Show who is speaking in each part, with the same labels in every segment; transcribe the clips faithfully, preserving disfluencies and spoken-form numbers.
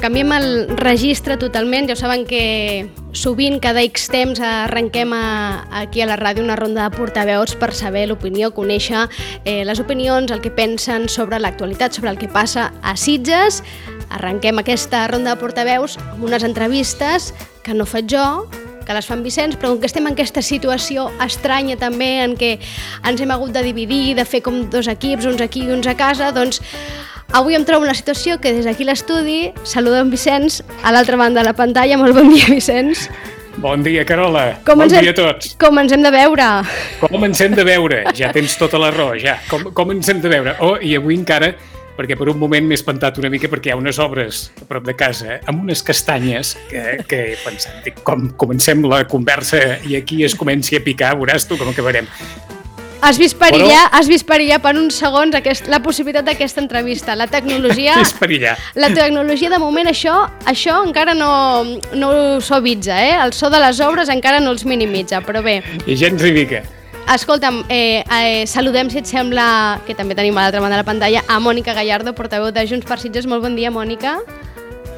Speaker 1: Canviem el registre totalment. Ja ho saben que sovint, cada X temps, arrenquem a, aquí a la ràdio una ronda de portaveus per saber l'opinió, conèixer eh, les opinions, el que pensen sobre l'actualitat, sobre el que passa a Sitges. Arrenquem aquesta ronda de portaveus amb unes entrevistes que no faig jo, que les fan Vicenç, però com que estem en aquesta situació estranya també, en què ens hem hagut de dividir, de fer com dos equips, uns aquí i uns a casa, doncs avui em trobo una situació que des d'aquí l'estudi saludo en Vicenç a l'altra banda de la pantalla. Molt bon dia, Vicenç.
Speaker 2: Bon dia, Carola.
Speaker 1: Com
Speaker 2: bon
Speaker 1: hem,
Speaker 2: dia a tots.
Speaker 1: Com ens hem de veure?
Speaker 2: Com ens hem de veure? Ja tens tota la raó, ja. Com, com ens hem de veure? Oh, i avui encara, perquè per un moment m'he espantat una mica perquè hi ha unes obres a prop de casa amb unes castanyes que, que he pensat, dic, com comencem la conversa i aquí es comenci a picar, veuràs tu com acabarem.
Speaker 1: Has vist perillar, Però... has vist perillar per uns segons aquest, la possibilitat d'aquesta entrevista. La tecnologia...
Speaker 2: És perillar.
Speaker 1: La tecnologia, de moment, això això encara no, no ho suavitza, eh? El so de les obres encara no els minimitza, però bé.
Speaker 2: I gens hi mica.
Speaker 1: Escolta'm, eh, eh, saludem, si et sembla, que també tenim a l'altra banda de la pantalla, a Mònica Gallardo, portaveu de Junts per Sitges. Molt bon dia, Mònica.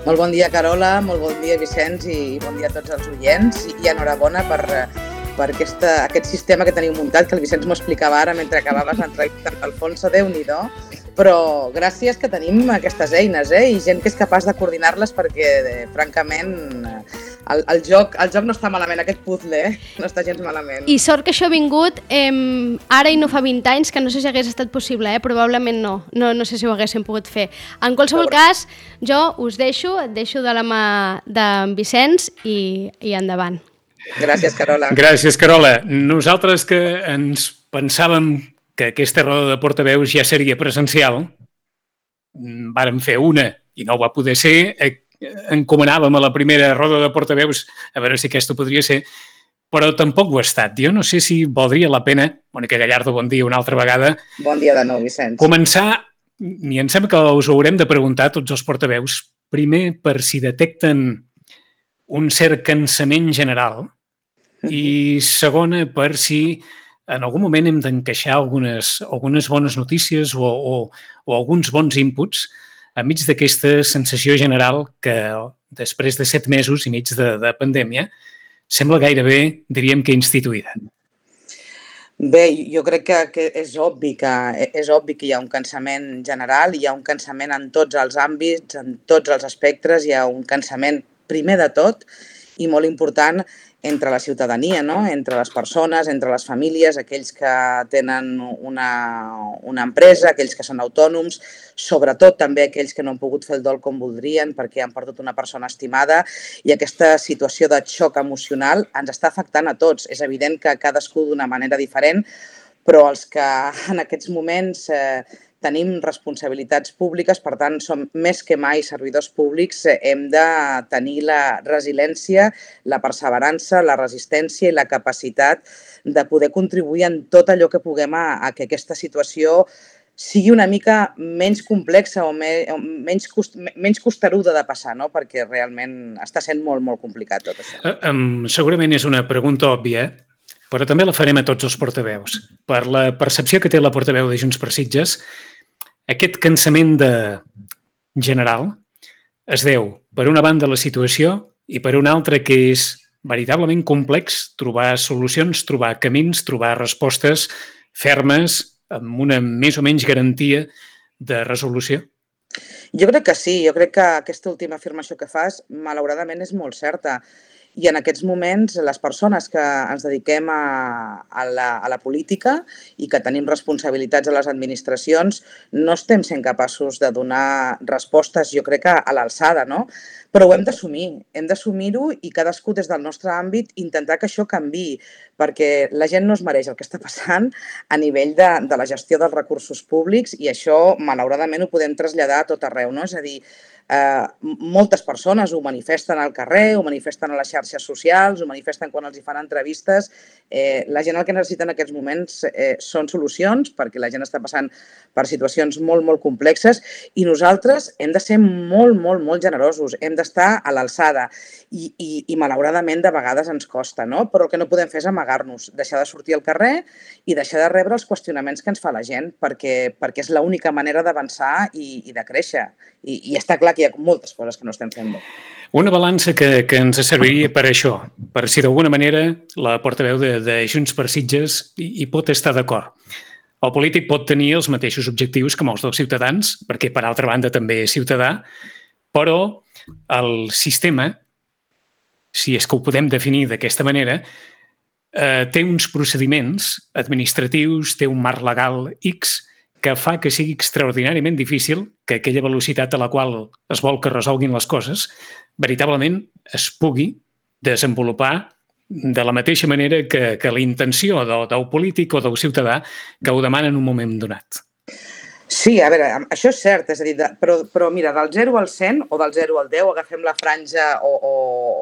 Speaker 3: Molt bon dia, Carola, molt bon dia, Vicenç, i bon dia a tots els oients, i enhorabona per... per aquesta, aquest sistema que teniu muntat, que el Vicenç m'ho explicava ara mentre acabaves l'entrevista amb Alfonso, Déu-n'hi-do, però gràcies que tenim aquestes eines, eh? I gent que és capaç de coordinar-les perquè, eh, francament, el, el, joc, el joc no està malament, aquest puzzle, eh? No està gens malament.
Speaker 1: I sort que això ha vingut eh, ara i no fa vint anys, que no sé si hagués estat possible, eh? Probablement no. no, no sé si ho haguéssim pogut fer. En qualsevol cas, jo us deixo, et deixo de la mà d'en Vicenç i, i endavant.
Speaker 3: Gràcies, Carola.
Speaker 2: Gràcies, Carola. Nosaltres que ens pensàvem que aquesta roda de portaveus ja seria presencial, vàrem fer una i no va poder ser, encomanàvem a la primera roda de portaveus a veure si aquesta podria ser, però tampoc ho ha estat. Jo no sé si valdria la pena, Mònica Gallardo, bon dia una altra vegada.
Speaker 3: Bon dia de nou, Vicenç.
Speaker 2: Començar, i em sembla que us ho haurem de preguntar tots els portaveus, primer per si detecten un cert cansament general i segona per si en algun moment hem d'encaixar algunes, algunes bones notícies o, o, o alguns bons inputs enmig d'aquesta sensació general que després de set mesos i mig de, de pandèmia sembla gairebé, diríem que instituïda.
Speaker 3: Bé, jo crec que, que és obvi que és obvi que hi ha un cansament general, hi ha un cansament en tots els àmbits, en tots els espectres, hi ha un cansament primer de tot i molt important entre la ciutadania, no? Entre les persones, entre les famílies, aquells que tenen una, una empresa, aquells que són autònoms, sobretot també aquells que no han pogut fer el dol com voldrien perquè han perdut una persona estimada, i aquesta situació de xoc emocional ens està afectant a tots. És evident que cadascú d'una manera diferent, però els que en aquests moments eh, tenim responsabilitats públiques, per tant, som més que mai servidors públics, hem de tenir la resiliència, la perseverança, la resistència i la capacitat de poder contribuir en tot allò que puguem a, a que aquesta situació sigui una mica menys complexa o, me, o menys, cost, menys costeruda de passar, no? Perquè realment està sent molt, molt complicat tot això.
Speaker 2: Uh, um, segurament és una pregunta òbvia, però també la farem a tots els portaveus. Per la percepció que té la portaveu de Junts per Sitges, aquest cansament de general es deu, per una banda, la situació i per una altra que és veritablement complex trobar solucions, trobar camins, trobar respostes fermes amb una més o menys garantia de resolució?
Speaker 3: Jo crec que sí, jo crec que aquesta última afirmació que fas, malauradament, és molt certa. I en aquests moments, les persones que ens dediquem a, a, la, a la política i que tenim responsabilitats a les administracions, no estem sent capaços de donar respostes, jo crec que a l'alçada, no? Però ho hem d'assumir, hem d'assumir-ho i cadascú des del nostre àmbit intentar que això canviï, perquè la gent no es mereix el que està passant a nivell de, de la gestió dels recursos públics, i això, malauradament, ho podem traslladar a tot arreu, no? És a dir, eh, moltes persones ho manifesten al carrer, ho manifesten a les xarxes socials, ho manifesten quan els hi fan entrevistes. Eh, la gent el que necessita en aquests moments eh, són solucions, perquè la gent està passant per situacions molt, molt complexes i nosaltres hem de ser molt, molt, molt generosos, hem d'estar a l'alçada i, i, i malauradament de vegades ens costa, no? Però el que no podem fer és amagar-nos, deixar de sortir al carrer i deixar de rebre els qüestionaments que ens fa la gent, perquè, perquè és l'única manera d'avançar i, i de créixer. I, I està clar que hi ha moltes coses que no estem fent bé.
Speaker 2: Una balança que, que ens serviria per això, per si d'alguna manera la portaveu de, de Junts per Sitges hi, hi pot estar d'acord. El polític pot tenir els mateixos objectius que els dels ciutadans, perquè per altra banda també és ciutadà, però el sistema, si és que ho podem definir d'aquesta manera, eh, té uns procediments administratius, té un marc legal X que fa que sigui extraordinàriament difícil que aquella velocitat a la qual es vol que resolguin les coses veritablement es pugui desenvolupar de la mateixa manera que, que la intenció del, del polític o del ciutadà que ho demana en un moment donat.
Speaker 3: Sí, a veure, això és cert, és a dir, de, però, però mira, del zero al cent o del zero al deu, agafem la franja o, o,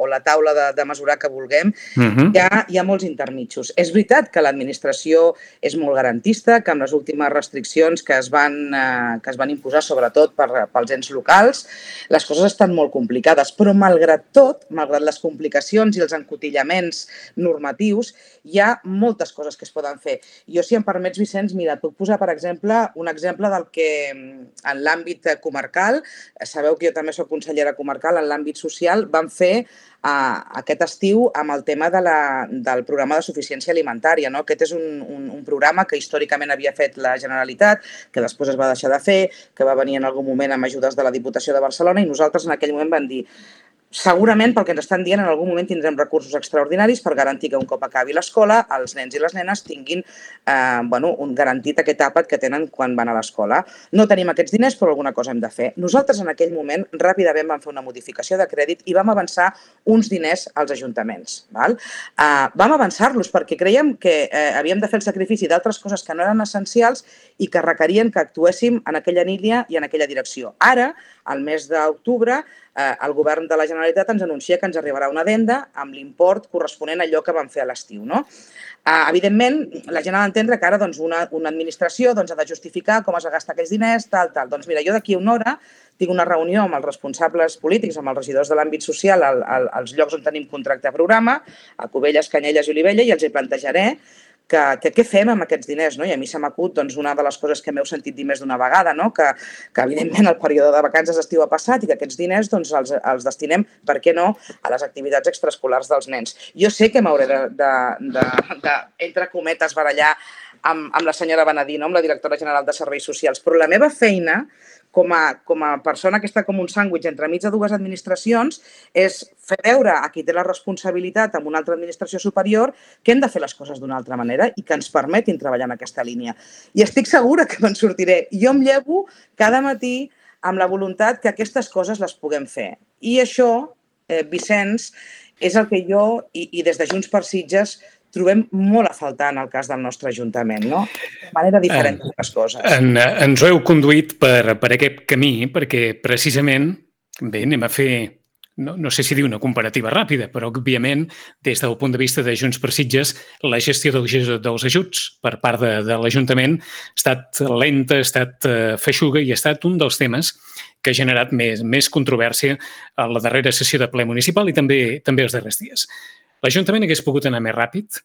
Speaker 3: o la taula de, de mesurar que vulguem, uh-huh. hi, ha, hi ha molts intermitjos. És veritat que l'administració és molt garantista, que amb les últimes restriccions que es van, eh, que es van imposar, sobretot per, pels ens locals, les coses estan molt complicades, però malgrat tot, malgrat les complicacions i els encotillaments normatius, hi ha moltes coses que es poden fer. Jo, si em permets, Vicenç, mira, et puc posar, per exemple, un exemple de que en l'àmbit comarcal, sabeu que jo també soc consellera comarcal, en l'àmbit social, vam fer uh, aquest estiu amb el tema de la, del programa de suficiència alimentària. No? Aquest és un, un, un programa que històricament havia fet la Generalitat, que després es va deixar de fer, que va venir en algun moment amb ajudes de la Diputació de Barcelona i nosaltres en aquell moment vam dir segurament, pel que ens estan dient, en algun moment tindrem recursos extraordinaris per garantir que un cop acabi l'escola, els nens i les nenes tinguin eh, bueno, un garantit aquest àpat que tenen quan van a l'escola. No tenim aquests diners, però alguna cosa hem de fer. Nosaltres en aquell moment ràpidament vam fer una modificació de crèdit i vam avançar uns diners als ajuntaments. Val? Eh, vam avançar-los perquè creiem que eh, havíem de fer el sacrifici d'altres coses que no eren essencials i que requerien que actuéssim en aquella línia i en aquella direcció. Ara, al mes d'octubre, eh, el govern de la Generalitat ens anuncia que ens arribarà una addenda amb l'import corresponent a allò que vam fer a l'estiu. No? Eh, evidentment, la gent ha d'entendre que ara doncs, una, una administració doncs, ha de justificar com es va gastar aquells diners, tal, tal. Doncs mira, jo d'aquí a una hora tinc una reunió amb els responsables polítics, amb els regidors de l'àmbit social, al, al, als llocs on tenim contracte de programa, a Cubelles, Canyelles i Olivella, i els hi plantejaré que, que què fem amb aquests diners, no? I a mi se m'acut doncs, una de les coses que m'heu sentit dir més d'una vegada, no? que, que evidentment el període de vacances d'estiu ha passat i que aquests diners doncs, els, els destinem, per què no, a les activitats extraescolars dels nens. Jo sé que m'hauré de, de, de, de, entre cometes, barallar amb, amb la senyora Benedino, amb la directora general de Serveis Socials, però la meva feina com a, com a persona que està com un sàndwich entremig de dues administracions és fer veure a qui té la responsabilitat amb una altra administració superior que hem de fer les coses d'una altra manera i que ens permetin treballar en aquesta línia. I estic segura que me'n sortiré. Jo em llevo cada matí amb la voluntat que aquestes coses les puguem fer. I això, eh, Vicenç, és el que jo i, i des de Junts per Sitges trobem molt a faltar en el cas del nostre Ajuntament, no? De manera diferent de les coses.
Speaker 2: En, ens ho heu conduït per, per aquest camí perquè precisament, bé, anem a fer, no, no sé si dir una comparativa ràpida, però òbviament des del punt de vista de Junts per Sitges la gestió dels, dels ajuts per part de, de l'Ajuntament ha estat lenta, ha estat uh, feixuga i ha estat un dels temes que ha generat més, més controvèrsia a la darrera sessió de ple municipal i també, també els darrers dies. L'Ajuntament hagués pogut anar més ràpid?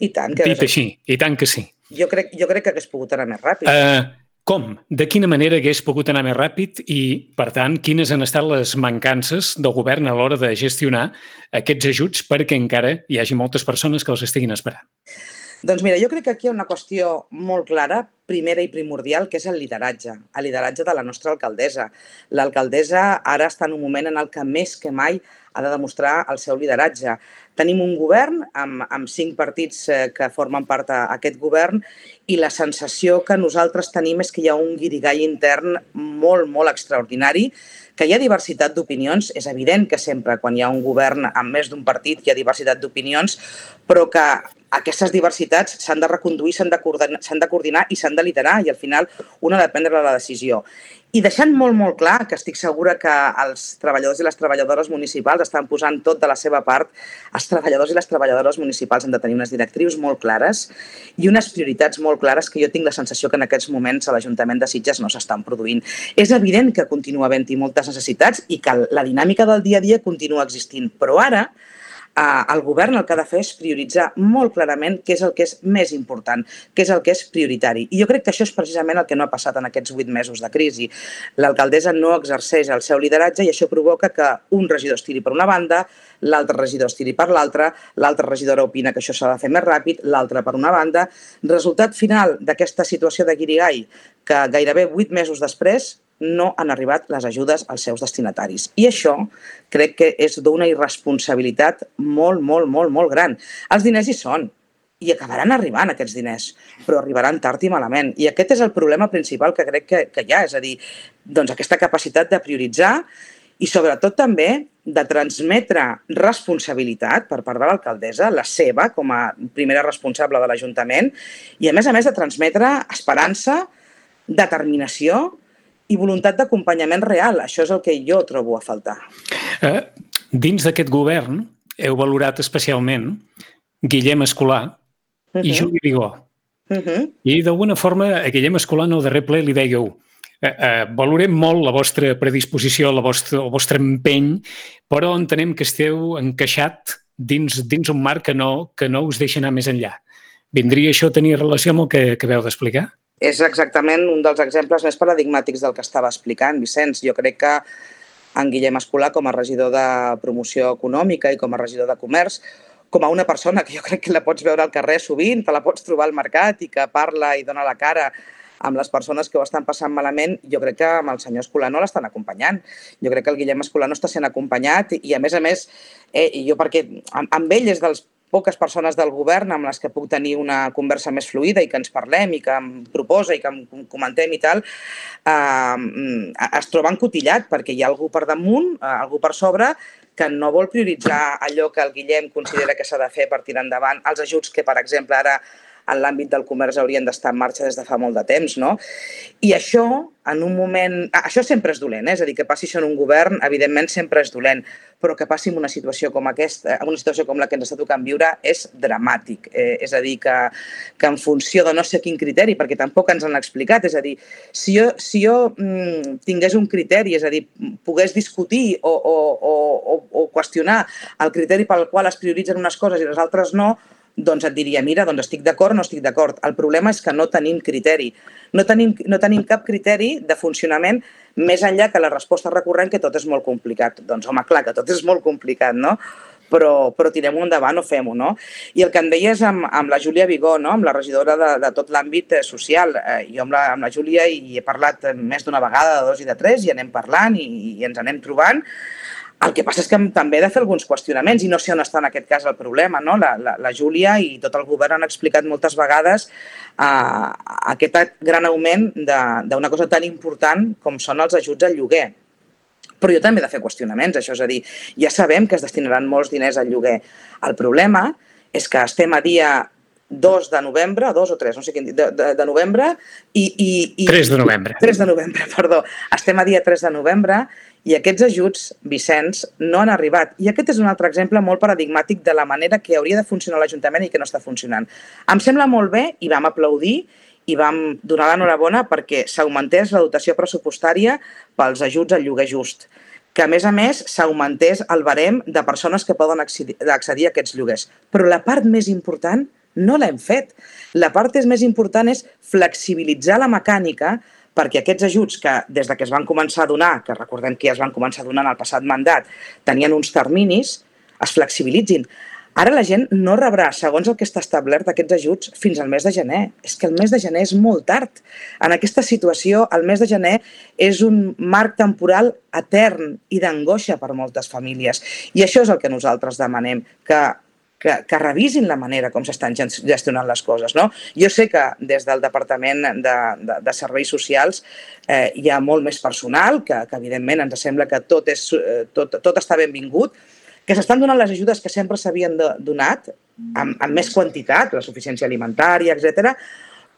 Speaker 3: I tant. Que
Speaker 2: Dit així, i tant que sí.
Speaker 3: Jo crec, jo crec que hagués pogut anar més ràpid.
Speaker 2: Uh, com? De quina manera hagués pogut anar més ràpid i, per tant, quines han estat les mancances del govern a l'hora de gestionar aquests ajuts perquè encara hi hagi moltes persones que els estiguin esperant?
Speaker 3: Doncs mira, jo crec que aquí hi ha una qüestió molt clara, primera i primordial, que és el lideratge, el lideratge de la nostra alcaldessa. L'alcaldessa ara està en un moment en el que més que mai ha de demostrar el seu lideratge. Tenim un govern amb, amb cinc partits que formen part d'aquest govern i la sensació que nosaltres tenim és que hi ha un guirigall intern molt, molt extraordinari, que hi ha diversitat d'opinions. És evident que sempre quan hi ha un govern amb més d'un partit hi ha diversitat d'opinions, però que aquestes diversitats s'han de reconduir, s'han de, de coordinar i s'han de liderar, i al final una ha de prendre la decisió. I deixant molt, molt clar que estic segura que els treballadors i les treballadores municipals estan posant tot de la seva part, els treballadors i les treballadores municipals han de tenir unes directrius molt clares i unes prioritats molt clares que jo tinc la sensació que en aquests moments a l'Ajuntament de Sitges no s'estan produint. És evident que continua havent-hi moltes necessitats i que la dinàmica del dia a dia continua existint, però ara el govern el que ha de fer és prioritzar molt clarament què és el que és més important, què és el que és prioritari. I jo crec que això és precisament el que no ha passat en aquests vuit mesos de crisi. L'alcaldessa no exerceix el seu lideratge i això provoca que un regidor es tiri per una banda, l'altre regidor es tiri per l'altra, l'altra regidora opina que això s'ha de fer més ràpid, l'altre per una banda. Resultat final d'aquesta situació de guirigall, que gairebé vuit mesos després no han arribat les ajudes als seus destinataris. I això crec que és d'una irresponsabilitat molt, molt, molt, molt gran. Els diners hi són i acabaran arribant aquests diners, però arribaran tard i malament. I aquest és el problema principal que crec que, que hi ha, és a dir, doncs aquesta capacitat de prioritzar i sobretot també de transmetre responsabilitat per part de l'alcaldessa, la seva com a primera responsable de l'Ajuntament, i a més a més de transmetre esperança, determinació i voluntat d'acompanyament real. Això és el que jo trobo a faltar.
Speaker 2: Eh, dins d'aquest govern heu valorat especialment Guillem Escolà uh-huh. i Juli Vigó. Uh-huh. I d'alguna forma a Guillem Escolà en el darrer ple li dèieu eh, eh, valorem molt la vostra predisposició, la vostra, el vostre empeny, però entenem que esteu encaixat dins, dins un marc que no, que no us deixa anar més enllà. Vindria això a tenir relació amb el que acabeu d'explicar?
Speaker 3: És exactament un dels exemples més paradigmàtics del que estava explicant, Vicenç. Jo crec que en Guillem Escolà, com a regidor de promoció econòmica i com a regidor de comerç, com a una persona que jo crec que la pots veure al carrer sovint, te la pots trobar al mercat i que parla i dona la cara amb les persones que ho estan passant malament, jo crec que amb el senyor Escolà no l'estan acompanyant. Jo crec que el Guillem Escolà no està sent acompanyat i, a més a més, eh, jo perquè amb ell és dels poques persones del govern amb les que puc tenir una conversa més fluida i que ens parlem i que em proposa i que em comentem i tal, eh, es troba encotillat perquè hi ha algú per damunt, algú per sobre, que no vol prioritzar allò que el Guillem considera que s'ha de fer per tirar endavant, els ajuts que, per exemple, ara en l'àmbit del comerç haurien d'estar en marxa des de fa molt de temps, no? I això, en un moment... Això sempre és dolent, eh? És a dir, que passi això en un govern, evidentment sempre és dolent, però que passi en una situació com aquesta, en una situació com la que ens està tocant viure, és dramàtic. Eh, és a dir, que, que en funció de no sé quin criteri, perquè tampoc ens han explicat, és a dir, si jo, si jo mm, tingués un criteri, és a dir, pogués discutir o, o, o, o qüestionar el criteri pel qual es prioritzen unes coses i les altres no, doncs et diria, mira, doncs estic d'acord o no estic d'acord. El problema és que no tenim criteri. No tenim, no tenim cap criteri de funcionament més enllà que la resposta recurrent que tot és molt complicat. Doncs home, clar, que tot és molt complicat, no? Però, però tirem-ho endavant o fem-ho, no? I el que em deies amb, amb la Júlia Vigó, no? Amb la regidora de, de tot l'àmbit social. Eh, jo amb la, amb la Júlia hi he parlat més d'una vegada, de dos i de tres, i anem parlant i, i ens anem trobant. El que passa és que també he de fer alguns qüestionaments i no sé on està en aquest cas el problema, no? La, la, la Júlia i tot el govern han explicat moltes vegades uh, aquest gran augment d'una cosa tan important com són els ajuts al lloguer. Però jo també he de fer qüestionaments, això és a dir, ja sabem que es destinaran molts diners al lloguer. El problema és que estem a dia dos de novembre, dos o tres, no sé quin, de, de, de novembre i... i, i
Speaker 2: tres de novembre.
Speaker 3: tres de novembre, perdó. Estem a dia tres de novembre i aquests ajuts, Vicenç, no han arribat. I aquest és un altre exemple molt paradigmàtic de la manera que hauria de funcionar l'Ajuntament i que no està funcionant. Em sembla molt bé i vam aplaudir i vam donar l'enhorabona perquè s'augmentés la dotació pressupostària pels ajuts al lloguer just, que a més a més s'augmentés el barem de persones que poden accedir a aquests lloguers. Però la part més important no l'hem fet. La part més important és flexibilitzar la mecànica perquè aquests ajuts que des de que es van començar a donar, que recordem que ja es van començar a donar en el passat mandat, tenien uns terminis, es flexibilitzin. Ara la gent no rebrà, segons el que està establert, aquests ajuts fins al mes de gener. És que el mes de gener és molt tard. En aquesta situació, el mes de gener és un marc temporal etern i d'angoixa per moltes famílies. I això és el que nosaltres demanem, que Que, que revisin la manera com s'estan gestionant les coses, no? Jo sé que des del Departament de, de, de Serveis Socials eh, hi ha molt més personal, que, que evidentment ens sembla que tot, és, tot, tot està benvingut, que s'estan donant les ajudes que sempre s'havien donat, amb, amb més quantitat, la suficiència alimentària, etcètera,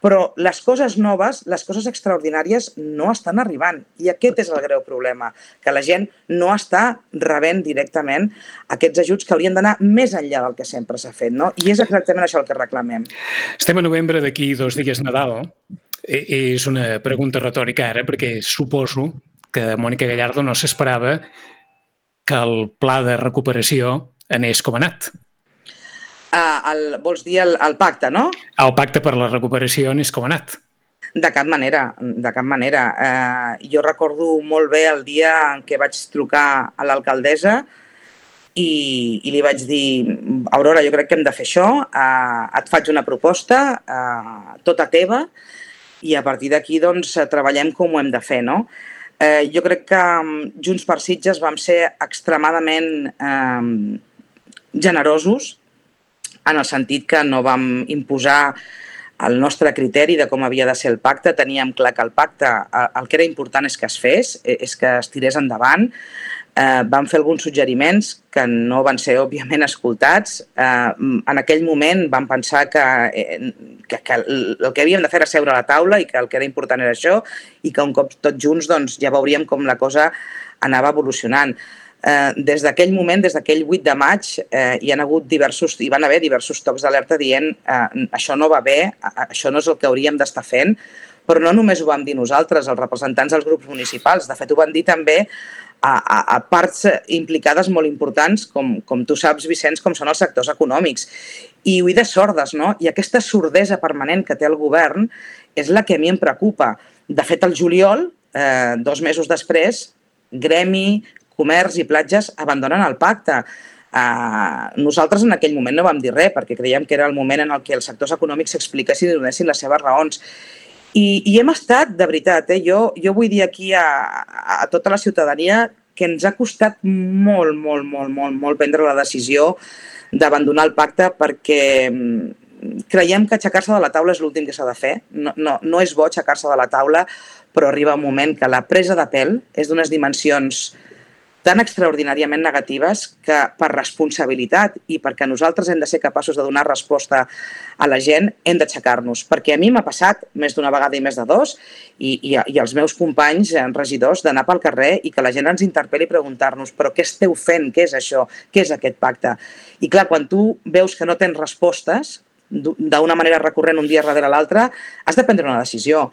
Speaker 3: però les coses noves, les coses extraordinàries no estan arribant. I aquest és el greu problema, que la gent no està rebent directament aquests ajuts que haurien d'anar més enllà del que sempre s'ha fet, no? I és exactament això el que reclamem.
Speaker 2: Estem a novembre, d'aquí dos dies Nadal. És una pregunta retòrica ara, perquè suposo que Mònica Gallardo no s'esperava que el pla de recuperació anés com ha anat.
Speaker 3: Uh, el, vols dir el, el pacte, no?
Speaker 2: El pacte per la recuperació és com ha anat.
Speaker 3: De cap manera, de cap manera. Uh, jo recordo molt bé el dia en què vaig trucar a l'alcaldessa i, i li vaig dir, Aurora, jo crec que hem de fer això, uh, et faig una proposta, uh, tota teva, i a partir d'aquí doncs, treballem com ho hem de fer, no? Uh, jo crec que Junts per Sitges vam ser extremadament uh, generosos, en el sentit que no vam imposar el nostre criteri de com havia de ser el pacte. Teníem clar que el pacte, el que era important és que es fes, és que es tirés endavant. Eh, vam fer alguns suggeriments que no van ser, òbviament, escoltats. Eh, en aquell moment vam pensar que, que, que el que havíem de fer era seure a la taula i que el que era important era això i que un cop tots junts doncs, ja veuríem com la cosa anava evolucionant. Eh, des d'aquell moment, des d'aquell vuit de maig, eh, hi, han hagut diversos, hi van haver diversos tocs d'alerta dient eh, això no va bé, això no és el que hauríem d'estar fent, però no només ho vam dir nosaltres, els representants dels grups municipals, de fet ho van dir també a, a, a parts implicades molt importants, com, com tu saps, Vicenç, com són els sectors econòmics. I oïdes sordes, no? I aquesta sordesa permanent que té el govern és la que a mi em preocupa. De fet, el juliol, eh, dos mesos després, Gremi, Comerç i Platges abandonen el pacte. Uh, nosaltres en aquell moment no vam dir res perquè creiem que era el moment en el què els sectors econòmics s'expliquessin i donessin les seves raons. I, i hem estat, de veritat, eh? jo, jo vull dir aquí a, a tota la ciutadania que ens ha costat molt, molt, molt, molt, molt prendre la decisió d'abandonar el pacte perquè creiem que aixecar-se de la taula és l'últim que s'ha de fer. No, no, no és bo aixecar-se de la taula, però arriba un moment que la presa de pèl és d'unes dimensions tan extraordinàriament negatives que per responsabilitat i perquè nosaltres hem de ser capaços de donar resposta a la gent, hem d'aixecar-nos. Perquè a mi m'ha passat més d'una vegada i més de dos i, i, i els meus companys regidors d'anar pel carrer i que la gent ens interpel·li i preguntar-nos però què esteu fent? Què és això? Què és aquest pacte? I clar, quan tu veus que no tens respostes d'una manera recurrent un dia darrere l'altre, has de prendre una decisió.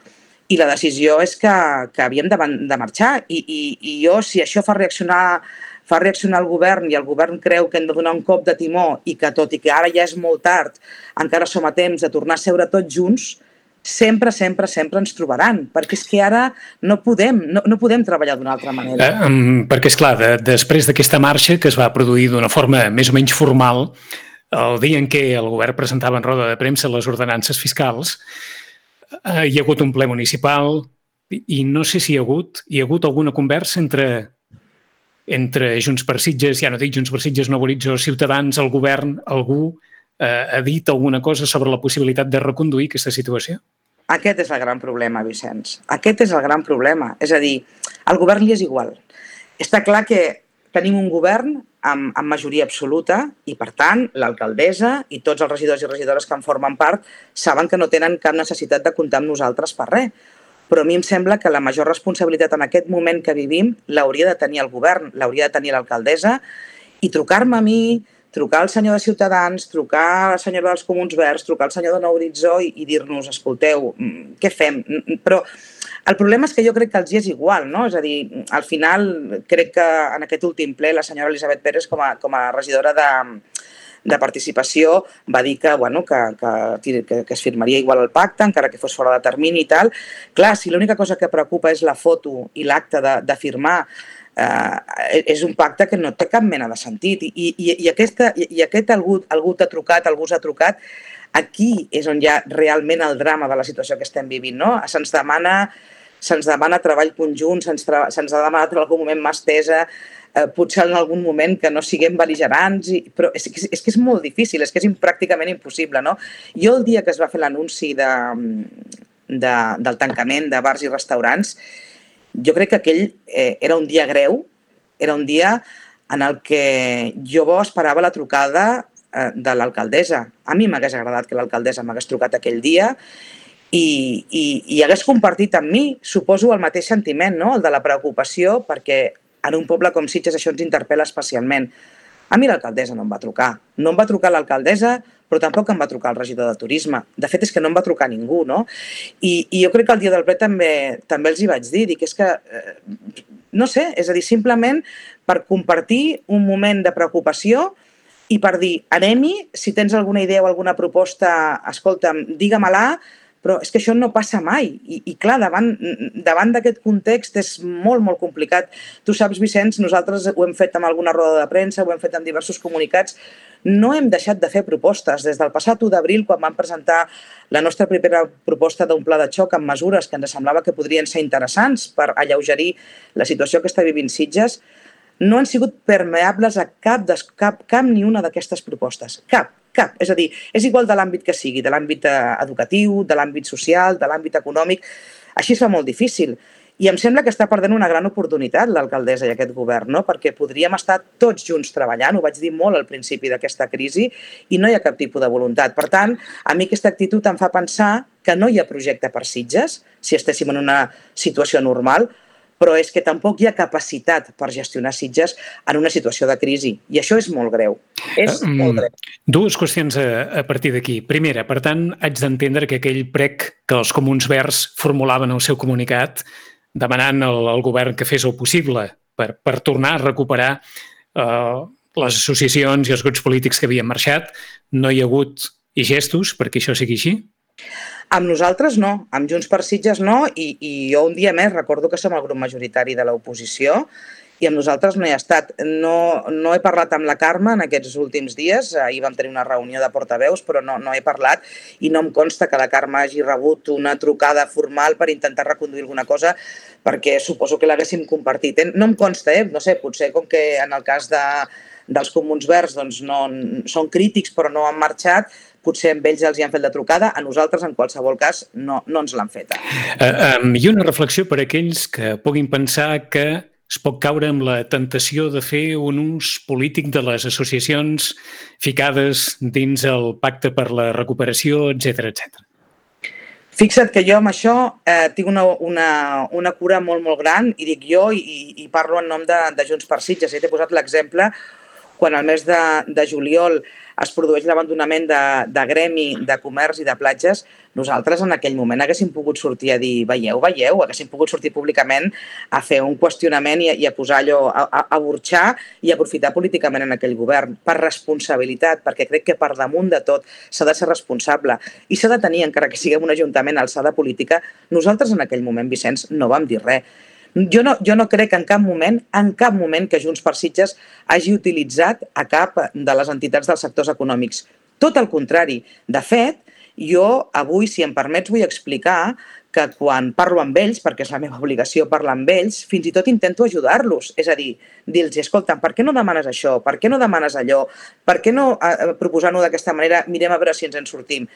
Speaker 3: I la decisió és que, que havíem de, de marxar I, i, i jo, si això fa reaccionar, fa reaccionar el govern i el govern creu que hem de donar un cop de timó i que tot i que ara ja és molt tard, encara som a temps de tornar a seure tots junts, sempre, sempre, sempre ens trobaran, perquè és que ara no podem, no, no podem treballar d'una altra manera.
Speaker 2: Eh, um, perquè, esclar, de, després d'aquesta marxa que es va produir d'una forma més o menys formal, el dia en què el govern presentava en roda de premsa les ordenances fiscals, hi ha hagut un ple municipal i no sé si hi ha hagut, hi ha hagut alguna conversa entre, entre Junts per Sitges, ja no dic Junts per Sitges, Nova Horitzó, Ciutadans, el govern, algú eh, ha dit alguna cosa sobre la possibilitat de reconduir aquesta situació?
Speaker 3: Aquest és el gran problema, Vicenç. Aquest és el gran problema. És a dir, al govern li és igual. Està clar que tenim un govern amb, amb majoria absoluta i, per tant, l'alcaldessa i tots els regidors i regidores que en formen part saben que no tenen cap necessitat de comptar amb nosaltres per res. Però a mi em sembla que la major responsabilitat en aquest moment que vivim l'hauria de tenir el govern, l'hauria de tenir l'alcaldessa i trucar-me a mi, trucar al senyor de Ciutadans, trucar a la senyora dels Comuns Verds, trucar al senyor de Nou Horitzó i, i dir-nos, escolteu, què fem? Però el problema és que jo crec que els hi és igual, no? És a dir, al final crec que en aquest últim ple la senyora Elisabet Pérez com a, com a regidora de, de participació va dir que, bueno, que, que, que, que es firmaria igual el pacte, encara que fos fora de termini i tal. Clar, si l'única cosa que preocupa és la foto i l'acte de, de firmar, eh, és un pacte que no té cap mena de sentit. I, i, i, aquesta, i aquest algú, algú t'ha trucat, algú s'ha trucat, aquí és on hi ha realment el drama de la situació que estem vivint, no? Se'ns demana, se'ns demana treball conjunt, se'ns se'ns ha demanat en algun moment mà estesa, eh, potser en algun moment que no siguem bel·ligerants, i, però és, és, és que és molt difícil, és que és pràcticament impossible, no? Jo el dia que es va fer l'anunci de, de, del tancament de bars i restaurants, jo crec que aquell eh, era un dia greu, era un dia en el que jo esperava la trucada de l'alcaldessa. A mi m'hagués agradat que l'alcaldessa m'hagués trucat aquell dia i, i, i hagués compartit amb mi, suposo, el mateix sentiment, no? El de la preocupació, perquè en un poble com Sitges això ens interpel·la especialment. A mi l'alcaldessa no em va trucar. No em va trucar l'alcaldessa, però tampoc em va trucar el regidor de turisme. De fet, és que no em va trucar ningú, no? I, i jo crec que el dia del ple també, també els hi vaig dir, dic, és que, eh, no sé, és a dir, simplement per compartir un moment de preocupació i per dir, anem-hi, si tens alguna idea o alguna proposta, escolta'm, digue-me-la, però és que això no passa mai. I, i clar, davant, davant d'aquest context és molt, molt complicat. Tu saps, Vicenç, nosaltres ho hem fet amb alguna roda de premsa, ho hem fet amb diversos comunicats, no hem deixat de fer propostes. Des del passat u d'abril, quan vam presentar la nostra primera proposta d'un pla de xoc amb mesures que ens semblava que podrien ser interessants per alleugerir la situació que està vivint Sitges, no han sigut permeables a cap, cap, cap ni una d'aquestes propostes. Cap, cap. És a dir, és igual de l'àmbit que sigui, de l'àmbit educatiu, de l'àmbit social, de l'àmbit econòmic. Així es fa molt difícil. I em sembla que està perdent una gran oportunitat l'alcaldessa i aquest govern, no? Perquè podríem estar tots junts treballant, ho vaig dir molt al principi d'aquesta crisi, i no hi ha cap tipus de voluntat. Per tant, a mi aquesta actitud em fa pensar que no hi ha projecte per Sitges, si estéssim en una situació normal, però és que tampoc hi ha capacitat per gestionar Sitges en una situació de crisi. I això és molt greu. És
Speaker 2: um,
Speaker 3: molt greu.
Speaker 2: Dues qüestions a, a partir d'aquí. Primera, per tant, haig d'entendre que aquell prec que els Comuns Verds formulaven al seu comunicat demanant al, al govern que fes el possible per, per tornar a recuperar eh, les associacions i els grups polítics que havien marxat, no hi ha hagut i gestos perquè això sigui així?
Speaker 3: Amb nosaltres no, amb Junts per Sitges no, i, i jo un dia més recordo que som el grup majoritari de l'oposició i amb nosaltres no hi ha estat. No, no he parlat amb la Carme en aquests últims dies, ahir vam tenir una reunió de portaveus, però no, no he parlat i no em consta que la Carme hagi rebut una trucada formal per intentar reconduir alguna cosa, perquè suposo que l'haguéssim compartit. No em consta, eh? No sé, potser com que en el cas de, dels Comuns Verds doncs no, són crítics però no han marxat, potser amb ells els hi han fet la trucada, a nosaltres en qualsevol cas no, no ens l'han feta.
Speaker 2: Uh, um, I una reflexió per a aquells que puguin pensar que es pot caure amb la tentació de fer un ús polític de les associacions ficades dins el pacte per la recuperació, etcètera, etcètera.
Speaker 3: Fixa't que jo amb això eh, tinc una, una, una cura molt, molt gran i dic jo i, i parlo en nom de, de Junts per Sitges. Ja t'he posat l'exemple quan al mes de, de juliol es produeix l'abandonament de, de gremi, de comerç i de platges, nosaltres en aquell moment haguéssim pogut sortir a dir veieu, veieu, haguéssim pogut sortir públicament a fer un qüestionament i a, i a posar allò, a, a, a burxar i a aprofitar políticament en aquell govern, per responsabilitat, perquè crec que per damunt de tot s'ha de ser responsable i s'ha de tenir, encara que siguem un ajuntament alçada política, nosaltres en aquell moment, Vicenç, no vam dir res. Jo no, jo no crec en cap moment, en cap moment que Junts per Sitges hagi utilitzat a cap de les entitats dels sectors econòmics. Tot el contrari. De fet, jo avui, si em permets, vull explicar que quan parlo amb ells, perquè és la meva obligació parlar amb ells, fins i tot intento ajudar-los. És a dir, dir-los, escolta, per què no demanes això? Per què no demanes allò? Per què no eh, proposant-ho d'aquesta manera mirem a veure si ens en sortim?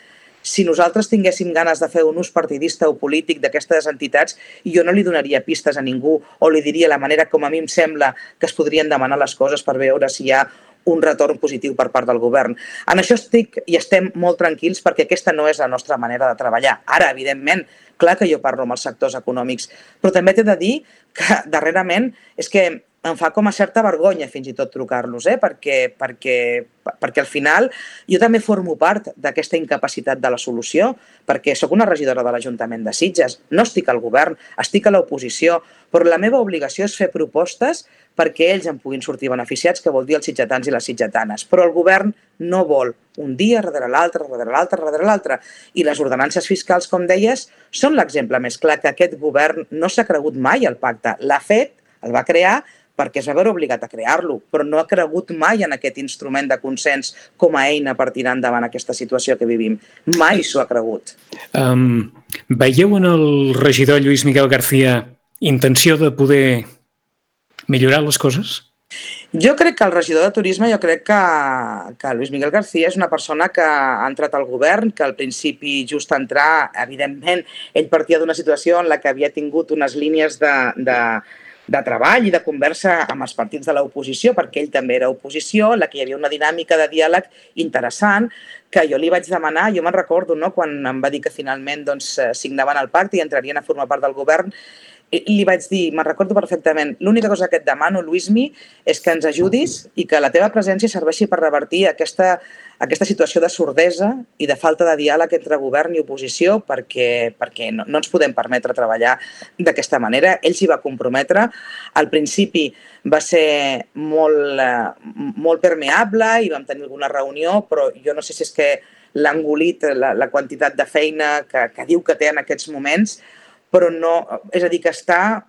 Speaker 3: Si nosaltres tinguéssim ganes de fer un ús partidista o polític d'aquestes entitats, jo no li donaria pistes a ningú o li diria la manera com a mi em sembla que es podrien demanar les coses per veure si hi ha un retorn positiu per part del govern. En això estic i estem molt tranquils perquè aquesta no és la nostra manera de treballar. Ara, evidentment, clar que jo parlo amb els sectors econòmics, però també t'he de dir que darrerament és que em fa com a certa vergonya fins i tot trucar-los, eh? perquè, perquè, perquè al final jo també formo part d'aquesta incapacitat de la solució, perquè sóc una regidora de l'Ajuntament de Sitges, no estic al govern, estic a l'oposició, però la meva obligació és fer propostes perquè ells en puguin sortir beneficiats, que vol dir els sitgetans i les sitgetanes. Però el govern no vol un dia darrere l'altre, darrere l'altre, darrere l'altre. I les ordenances fiscals, com deies, són l'exemple més clar que aquest govern no s'ha cregut mai al pacte. L'ha fet, el va crear, perquè es va veure obligat a crear-lo, però no ha cregut mai en aquest instrument de consens com a eina per tirar endavant aquesta situació que vivim. Mai s'ho ha cregut.
Speaker 2: Um, veieu en el regidor Lluís Miguel García intenció de poder millorar les coses?
Speaker 3: Jo crec que el regidor de Turisme, jo crec que, que Lluís Miguel García és una persona que ha entrat al govern, que al principi just entrar, evidentment, ell partia d'una situació en la que havia tingut unes línies de, de, de treball i de conversa amb els partits de l'oposició, perquè ell també era oposició, en la que hi havia una dinàmica de diàleg interessant, que jo li vaig demanar, jo me'n recordo, no?, quan em va dir que finalment doncs, signaven el pacte i entrarien a formar part del govern, li vaig dir, me'n recordo perfectament, l'única cosa que et demano, Luismi, és que ens ajudis i que la teva presència serveixi per revertir aquesta, aquesta situació de sordesa i de falta de diàleg entre govern i oposició perquè, perquè no, no ens podem permetre treballar d'aquesta manera. Ell s'hi va comprometre. Al principi va ser molt, molt permeable i vam tenir alguna reunió, però jo no sé si és que l'ha engolit la, la quantitat de feina que, que diu que té en aquests moments, però no, és a dir, que està,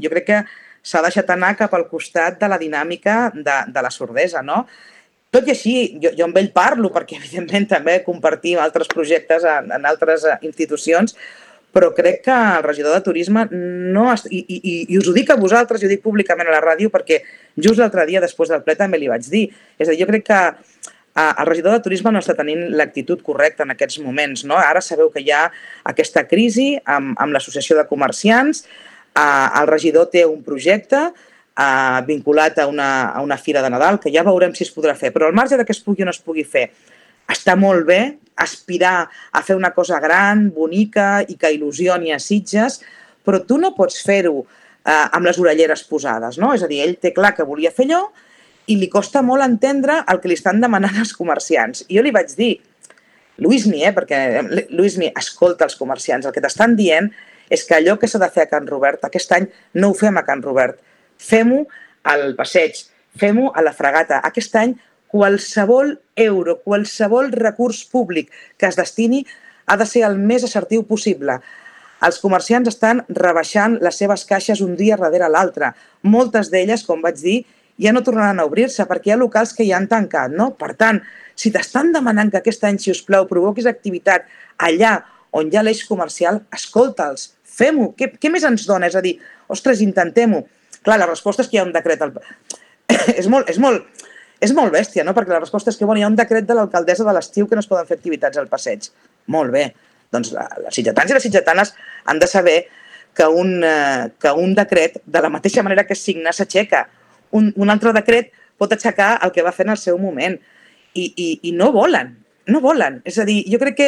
Speaker 3: jo crec que s'ha deixat anar cap al costat de la dinàmica de, de la sordesa, no? Tot i així, jo, jo amb ell parlo, perquè evidentment també compartim altres projectes en, en altres institucions, però crec que el regidor de Turisme no... I, i, i us ho dic a vosaltres, i ho dic públicament a la ràdio, perquè just l'altre dia, després del ple, també li vaig dir. És a dir, jo crec que el regidor de Turisme no està tenint l'actitud correcta en aquests moments, no? Ara sabeu que hi ha aquesta crisi amb, amb l'Associació de Comerciants, eh, el regidor té un projecte eh, vinculat a una, a una fira de Nadal, que ja veurem si es podrà fer, però al marge de que es pugui o no es pugui fer, està molt bé aspirar a fer una cosa gran, bonica i que il·lusioni a Sitges, però tu no pots fer-ho eh, amb les orelleres posades, no? És a dir, ell té clar que volia fer allò, i li costa molt entendre el que li estan demanant els comerciants. I jo li vaig dir, Luismi, eh, perquè Luismi, escolta els comerciants, el que t'estan dient és que allò que s'ha de fer a Can Robert, aquest any no ho fem a Can Robert, fem-ho al passeig, fem-ho a la Fragata. Aquest any qualsevol euro, qualsevol recurs públic que es destini ha de ser el més assertiu possible. Els comerciants estan rebaixant les seves caixes un dia darrere l'altre. Moltes d'elles, com vaig dir, ja no tornaran a obrir-se perquè hi ha locals que ja han tancat, no? Per tant, si t'estan demanant que aquest any, si us plau, provoquis activitat allà on hi ha l'eix comercial, escolta'ls, fem-ho. Què, què més ens dona? És a dir, ostres, intentem-ho. Clar, la resposta és que hi ha un decret. Al... és, molt, és, molt, és molt bèstia, no? Perquè la resposta és que bueno, hi ha un decret de l'alcaldessa de l'estiu que no es poden fer activitats al passeig. Molt bé. Doncs les sitgetans i les sitgetanes han de saber que un, eh, que un decret, de la mateixa manera que es signa, s'aixeca. Un, un altre decret pot aixecar el que va fer en el seu moment. I, i, i no volen, no volen. És a dir, jo crec que,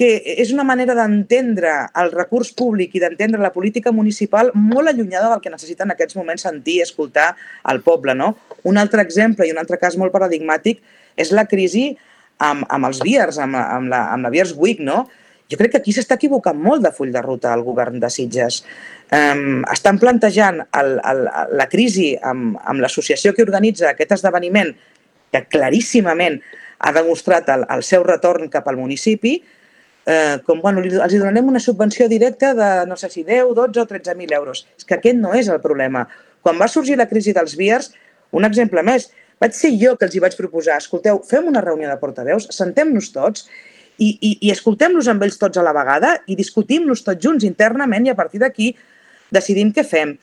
Speaker 3: que és una manera d'entendre el recurs públic i d'entendre la política municipal molt allunyada del que necessita en aquests moments sentir i escoltar el poble, no? Un altre exemple i un altre cas molt paradigmàtic és la crisi amb, amb els Viers, amb, amb, la, amb la Viers Week, no? Jo crec que aquí s'està equivocant molt de full de ruta el govern de Sitges. Um, estan plantejant el, el, la crisi amb, amb l'associació que organitza aquest esdeveniment, que claríssimament ha demostrat el, el seu retorn cap al municipi, eh, com bueno, els donarem una subvenció directa de, no sé si deu, dotze o tretze mil euros. És que aquest no és el problema. Quan va sorgir la crisi dels Viers, un exemple més, vaig ser jo que els hi vaig proposar, escolteu, fem una reunió de portaveus, sentem-nos tots, i, i, i escoltem-los amb ells tots a la vegada i discutim-los tots junts internament i a partir d'aquí decidim què fem.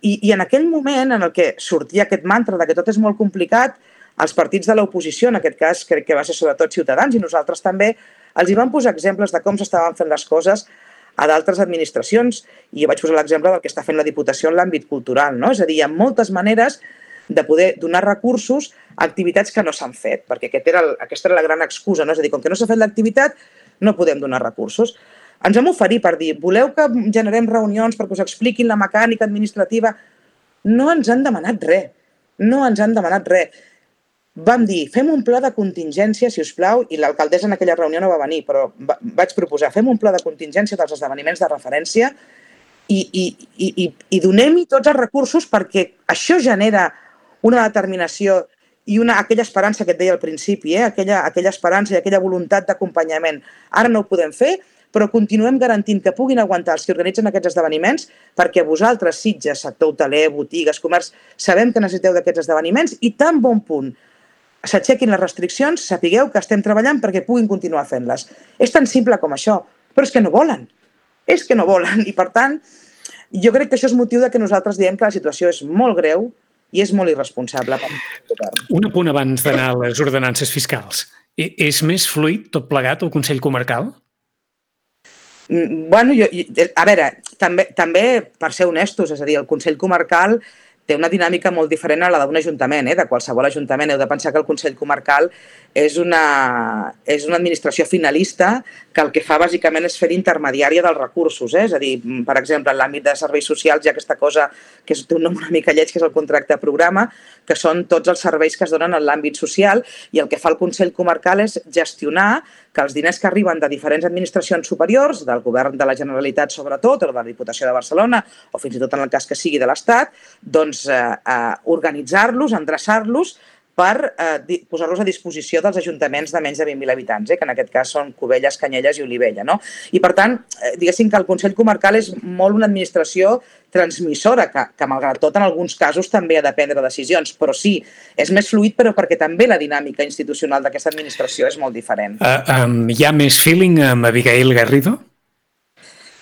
Speaker 3: I, I en aquell moment en el que sortia aquest mantra de que tot és molt complicat, els partits de l'oposició, en aquest cas crec que va ser sobretot Ciutadans i nosaltres també, els hi van posar exemples de com s'estaven fent les coses a d'altres administracions i jo vaig posar l'exemple del que està fent la Diputació en l'àmbit cultural, no? És a dir, hi ha moltes maneres de poder donar recursos a activitats que no s'han fet, perquè aquest era el, aquesta era la gran excusa, no? És a dir, com que no s'ha fet l'activitat, no podem donar recursos. Ens vam oferir per dir, voleu que generem reunions perquè us expliquin la mecànica administrativa? No ens han demanat res, no ens han demanat res. Vam dir, fem un pla de contingència, si us plau, i l'alcaldessa en aquella reunió no va venir, però va, vaig proposar, fem un pla de contingència dels esdeveniments de referència i, i, i, i, i donem-hi tots els recursos perquè això genera una determinació i una, aquella esperança que et deia al principi, eh? aquella, aquella esperança i aquella voluntat d'acompanyament. Ara no ho podem fer, però continuem garantint que puguin aguantar els que organitzen aquests esdeveniments perquè vosaltres, Sitges, sector hoteler, botigues, comerç, sabem que necessiteu d'aquests esdeveniments i tan bon punt s'aixequin les restriccions, sapigueu que estem treballant perquè puguin continuar fent-les. És tan simple com això, però és que no volen. És que no volen i, per tant, jo crec que això és motiu de que nosaltres diem que la situació és molt greu i és molt irresponsable.
Speaker 2: Un apunt abans d'anar a les ordenances fiscals. És més fluid tot plegat el Consell Comarcal?
Speaker 3: Bueno, jo, a veure, també, també per ser honestos, és a dir, el Consell Comarcal té una dinàmica molt diferent a la d'un ajuntament, eh? De qualsevol ajuntament. Heu de pensar que el Consell Comarcal és una, és una administració finalista que el que fa bàsicament és fer d'intermediària dels recursos. Eh? És a dir, per exemple, en l'àmbit de serveis socials hi ha aquesta cosa que té un nom una mica lleig, que és el contracte programa, que són tots els serveis que es donen en l'àmbit social, i el que fa el Consell Comarcal és gestionar que els diners que arriben de diferents administracions superiors, del govern de la Generalitat sobretot, o de la Diputació de Barcelona, o fins i tot en el cas que sigui de l'Estat, doncs eh, eh, organitzar-los, endreçar-los per eh, posar-los a disposició dels ajuntaments de menys de vint mil habitants, eh, que en aquest cas són Cubelles, Canyelles i Olivella. No? I per tant, eh, diguéssim que el Consell Comarcal és molt una administració transmissora, que, que malgrat tot en alguns casos també ha de prendre decisions, però sí, és més fluid, però perquè també la dinàmica institucional d'aquesta administració és molt diferent.
Speaker 2: Uh, um, hi ha més feeling amb Abigail Garrido?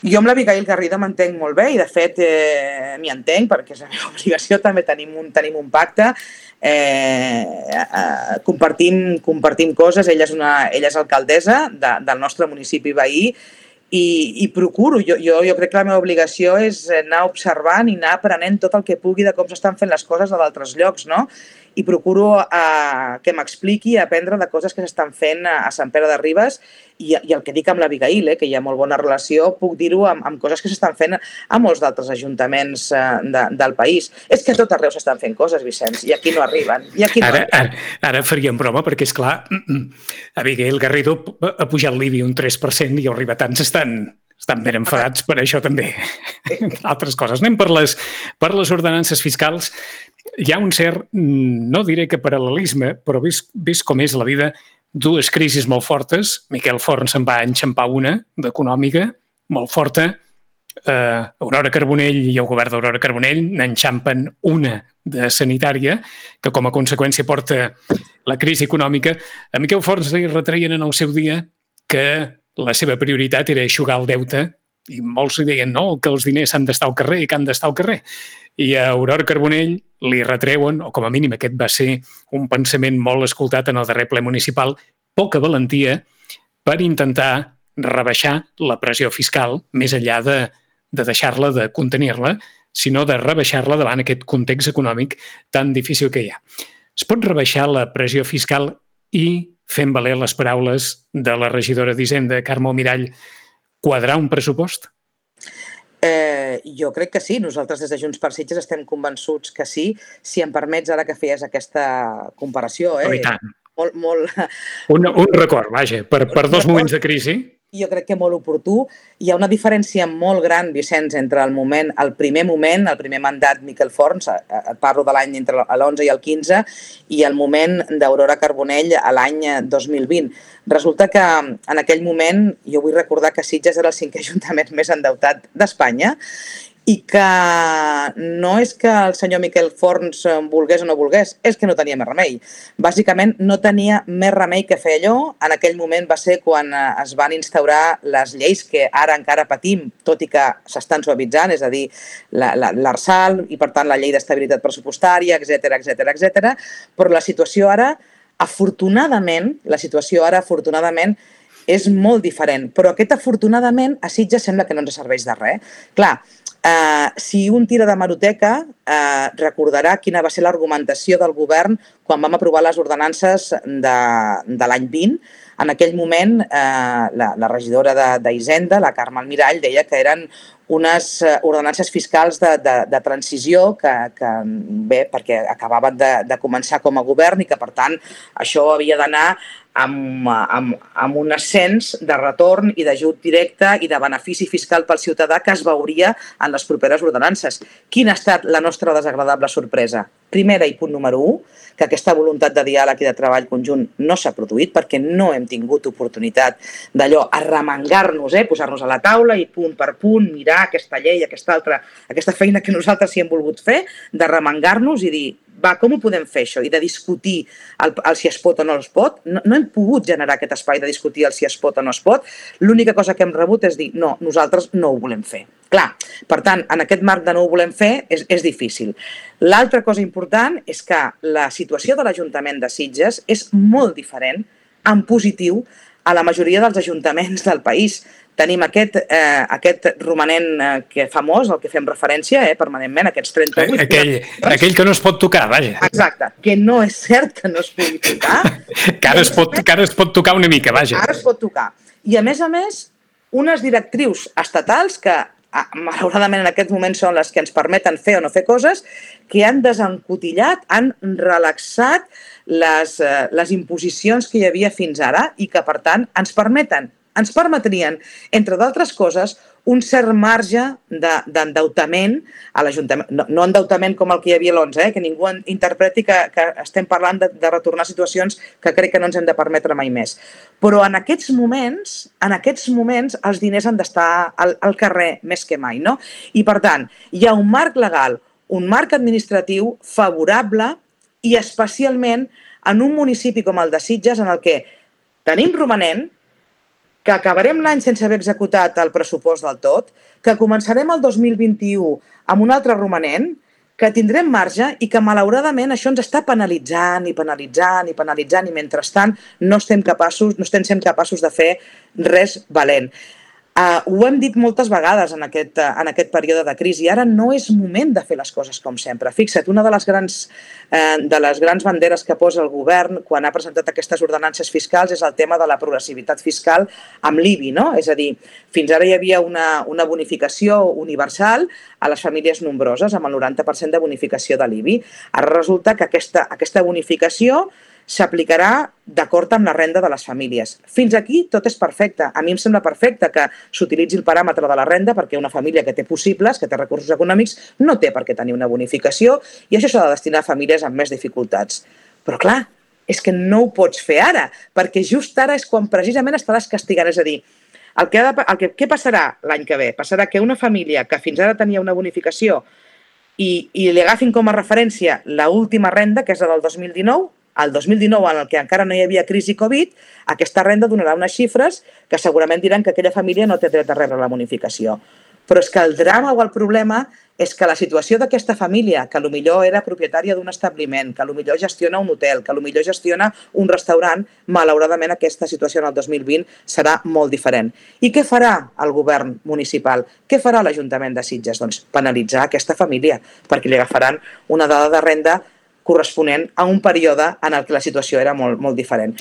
Speaker 3: Jo amb l'Abigail Garrido m'entenc molt bé i, de fet, eh, m'hi entenc perquè és la meva obligació, també tenim un, tenim un pacte, eh, eh, compartim, compartim coses, ella és, una, ella és alcaldessa de, del nostre municipi veí i, i procuro, jo, jo, jo crec que la meva obligació és anar observant i anar aprenent tot el que pugui de com s'estan fent les coses a d'altres llocs, no? I procuro eh, que m'expliqui i aprendre de coses que s'estan fent a, a Sant Pere de Ribes i, i el que dic amb l'Abigail, eh, que hi ha molt bona relació, puc dir-ho amb, amb coses que s'estan fent a molts d'altres ajuntaments eh, de, del país. És que a tot arreu s'estan fent coses, Vicenç, i aquí no arriben. I aquí no
Speaker 2: ara,
Speaker 3: arriben.
Speaker 2: Ara, ara faríem broma, perquè, és clar, Abigail Garrido ha pujat l'I B I un tres per cent i els ribetans estan... Estan ben enfadats per això també. Altres coses. Anem per les, per les ordenances fiscals. Hi ha un cert, no diré que paral·lelisme, però vist, vist com és la vida, dues crisis molt fortes. Miquel Forn se'n va enxampar una d'econòmica, molt forta. Eh, Aurora Carbonell i el govern d'Aurora Carbonell n'enxampen una de sanitària, que com a conseqüència porta la crisi econòmica. A Miquel Forn se li retreien en el seu dia que la seva prioritat era eixugar el deute i molts li deien no, que els diners han d'estar al carrer i que han d'estar al carrer. I a Aurora Carbonell li retreuen, o com a mínim aquest va ser un pensament molt escoltat en el darrer ple municipal, poca valentia per intentar rebaixar la pressió fiscal més enllà de, de deixar-la, de contenir-la, sinó de rebaixar-la davant aquest context econòmic tan difícil que hi ha. Es pot rebaixar la pressió fiscal i fent valer les paraules de la regidora d'Hisenda, Carme Almirall, quadrar un pressupost?
Speaker 3: Eh, jo crec que sí. Nosaltres des de Junts per Sitges estem convençuts que sí. Si em permets, ara que feies aquesta comparació... Eh,
Speaker 2: oh, i tant.
Speaker 3: Molt, molt...
Speaker 2: Un, un record, vaja, per, per dos moments de crisi.
Speaker 3: Jo crec que molt oportú. Hi ha una diferència molt gran, Vicenç, entre el moment, el primer moment, el primer mandat Miquel Forn, et parlo de l'any entre l'onze i el quinze, i el moment d'Aurora Carbonell a l'any dos mil vint. Resulta que en aquell moment, jo vull recordar que Sitges era el cinquè ajuntament més endeutat d'Espanya, i que no és que el senyor Miquel Forn volgués o no volgués, és que no tenia més remei. Bàsicament, no tenia més remei que fer allò. En aquell moment va ser quan es van instaurar les lleis que ara encara patim, tot i que s'estan suavitzant, és a dir, l'Arsal i, per tant, la llei d'estabilitat pressupostària, etcètera, etcètera, etcètera. Però la situació ara, afortunadament, la situació ara, afortunadament, és molt diferent. Però aquest afortunadament a Sitges sembla que no ens serveix de res. Clar, Uh, si un tira de meroteca, uh, recordarà quina va ser l'argumentació del govern quan vam aprovar les ordenances de, de l'any vint. En aquell moment, uh, la, la regidora d'Hisenda, la Carme Almirall, deia que eren unes ordenances fiscals de, de, de transició que, que, bé, perquè acabaven de, de començar com a govern i que, per tant, això havia d'anar amb, amb, amb un ascens de retorn i d'ajut directe i de benefici fiscal pel ciutadà que es veuria en les properes ordenances. Quina ha estat la nostra desagradable sorpresa? Primera i punt número u, que aquesta voluntat de diàleg i de treball conjunt no s'ha produït perquè no hem tingut oportunitat d'allò, arremangar-nos, eh, posar-nos a la taula i punt per punt, mirar aquesta llei, aquesta altra, aquesta feina que nosaltres sí hem volgut fer, d'arremangar-nos i dir, va, com ho podem fer això? I de discutir el, el si es pot o no es pot. No, no hem pogut generar aquest espai de discutir el si es pot o no es pot. L'única cosa que hem rebut és dir, no, nosaltres no ho volem fer. Clar, per tant, en aquest marc de no ho volem fer és, és difícil. L'altra cosa important és que la situació de l'Ajuntament de Sitges és molt diferent, en positiu, a la majoria dels ajuntaments del país. tenim aquest, eh, aquest romanent eh, que famós, al que fem referència eh, permanentment, aquests trenta-vuit...
Speaker 2: Aquell, aquell que no es pot tocar, vaja.
Speaker 3: Exacte, que no és cert que no es pugui tocar.
Speaker 2: que, ara es pot, que ara es pot tocar una mica, vaja.
Speaker 3: Ara es pot tocar. I a més a més, unes directrius estatals que malauradament en aquest moment són les que ens permeten fer o no fer coses, que han desencotillat, han relaxat les, eh, les imposicions que hi havia fins ara i que, per tant, ens permeten, ens permetrien, entre d'altres coses, un cert marge d'endeutament a l'Ajuntament. No, no endeutament com el que hi havia a l'onze, eh? Que ningú interpreti que, que estem parlant de, de retornar situacions que crec que no ens hem de permetre mai més. Però en aquests moments, en aquests moments els diners han d'estar al, al carrer més que mai, no? I, per tant, hi ha un marc legal, un marc administratiu favorable i especialment en un municipi com el de Sitges en el que tenim romanent, que acabarem l'any sense haver executat el pressupost del tot, que començarem el dos mil vint-i-u amb un altre romanent, que tindrem marge i que malauradament això ens està penalitzant i penalitzant i penalitzant i mentrestant no estem capaços, no estem sent capaços de fer res valent. Uh, ho hem dit moltes vegades en aquest, uh, en aquest període de crisi. Ara no és moment de fer les coses com sempre. Fixa't, una de les grans, uh, de les grans banderes que posa el govern quan ha presentat aquestes ordenances fiscals és el tema de la progressivitat fiscal amb l'I B I, no? És a dir, fins ara hi havia una, una bonificació universal a les famílies nombroses, amb el noranta per cent de bonificació de l'I B I. Ara resulta que aquesta, aquesta bonificació s'aplicarà d'acord amb la renda de les famílies. Fins aquí tot és perfecte. A mi em sembla perfecte que s'utilitzi el paràmetre de la renda perquè una família que té possibles, que té recursos econòmics, no té per què tenir una bonificació i això s'ha de destinar a famílies amb més dificultats. Però clar, és que no ho pots fer ara, perquè just ara és quan precisament estaràs castigant. És a dir, el que ha de, el que, què passarà l'any que ve? Passarà que una família que fins ara tenia una bonificació i, i li agafin com a referència l'última renda, que és la del dos mil dinou, el dos mil dinou, en el que encara no hi havia crisi Covid, aquesta renda donarà unes xifres que segurament diran que aquella família no té dret a rebre la bonificació. Però és que el drama o el problema és que la situació d'aquesta família, que potser era propietària d'un establiment, que potser gestiona un hotel, que potser gestiona un restaurant, malauradament aquesta situació en el dos mil vint serà molt diferent. I què farà el govern municipal? Què farà l'Ajuntament de Sitges? Doncs penalitzar aquesta família, perquè li agafaran una dada de renda corresponent a un període en el que la situació era molt, molt diferent.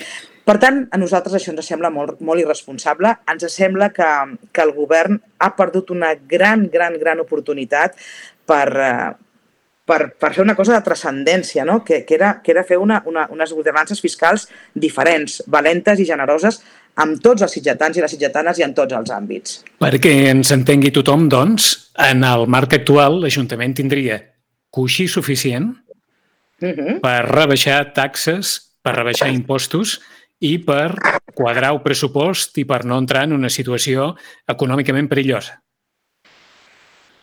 Speaker 3: Per tant, a nosaltres això ens sembla molt, molt irresponsable. Ens sembla que, que el govern ha perdut una gran, gran, gran oportunitat per, per, per fer una cosa de transcendència, no? que, que, era, que era fer una, una, unes ordenances fiscals diferents, valentes i generoses amb tots els sitgetans i les sitgetanes i en tots els àmbits.
Speaker 2: Perquè ens entengui tothom, doncs, en el marc actual l'Ajuntament tindria coixí suficient Uh-huh. per rebaixar taxes, per rebaixar impostos i per quadrar el pressupost i per no entrar en una situació econòmicament perillosa.